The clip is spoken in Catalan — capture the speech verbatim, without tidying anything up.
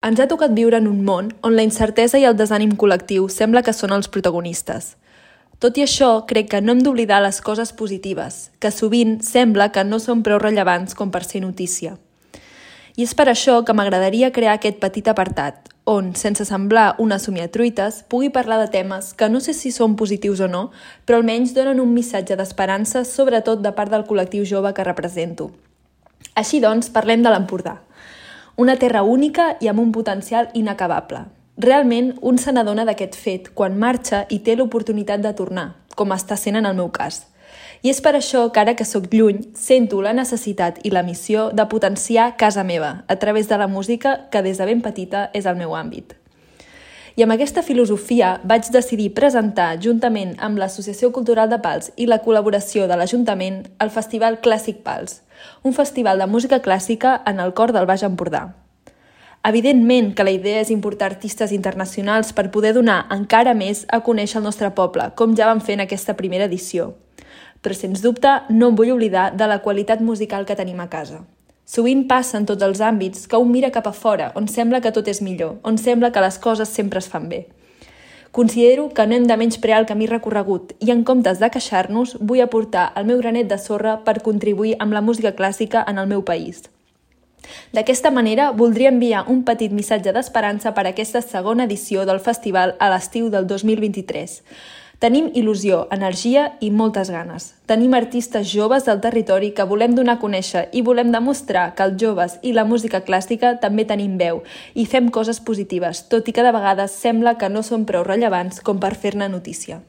Ens ha tocat viure en un món on la incertesa i el desànim col·lectiu sembla que són els protagonistes. Tot i això, crec que no hem d'oblidar les coses positives, que sovint sembla que no són prou rellevants com per ser notícia. I és per això que m'agradaria crear aquest petit apartat, on, sense semblar una somiatruites, pugui parlar de temes que no sé si són positius o no, però almenys donen un missatge d'esperança, sobretot de part del col·lectiu jove que represento. Així doncs, parlem de l'Empordà. Una terra única i amb un potencial inacabable. Realment, un se n'adona d'aquest fet quan marxa i té l'oportunitat de tornar, com està sent en el meu cas. I és per això que ara que sóc lluny, sento la necessitat i la missió de potenciar casa meva a través de la música que des de ben petita és el meu àmbit. I amb aquesta filosofia vaig decidir presentar, juntament amb l'Associació Cultural de Pals i la col·laboració de l'Ajuntament, el Festival Clàssic Pals, un festival de música clàssica en el cor del Baix Empordà. Evidentment que la idea és importar artistes internacionals per poder donar encara més a conèixer el nostre poble, com ja vam fer en aquesta primera edició. Però, sens dubte, no em vull oblidar de la qualitat musical que tenim a casa. Sovint passa en tots els àmbits que un mira cap a fora, on sembla que tot és millor, on sembla que les coses sempre es fan bé. Considero que no hem de menysprear el camí recorregut i, en comptes de queixar-nos, vull aportar el meu granet de sorra per contribuir amb la música clàssica en el meu país. D'aquesta manera, voldria enviar un petit missatge d'esperança per a aquesta segona edició del festival a l'estiu del dos mil vint-i-tres. Tenim il·lusió, energia i moltes ganes. Tenim artistes joves del territori que volem donar a conèixer i volem demostrar que els joves i la música clàssica també tenim veu i fem coses positives, tot i que de vegades sembla que no són prou rellevants com per fer-ne notícia.